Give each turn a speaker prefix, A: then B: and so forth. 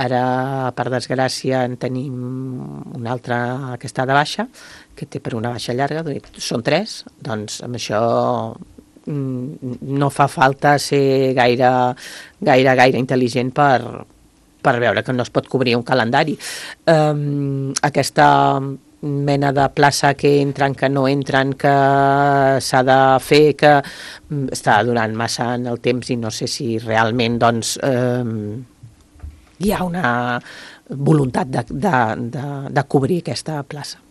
A: Ara, per desgràcia, en tenim un altre que està de baixa, que té per una baixa llarga, són 3, doncs amb això no fa falta ser gaire intel·ligent per veure que no es pot cobrir un calendari. Aquesta mena de plaça que entren, que no entren, que s'ha de fer, que està durant massa en el temps i no sé si realment doncs, hi ha una voluntat de cobrir aquesta plaça.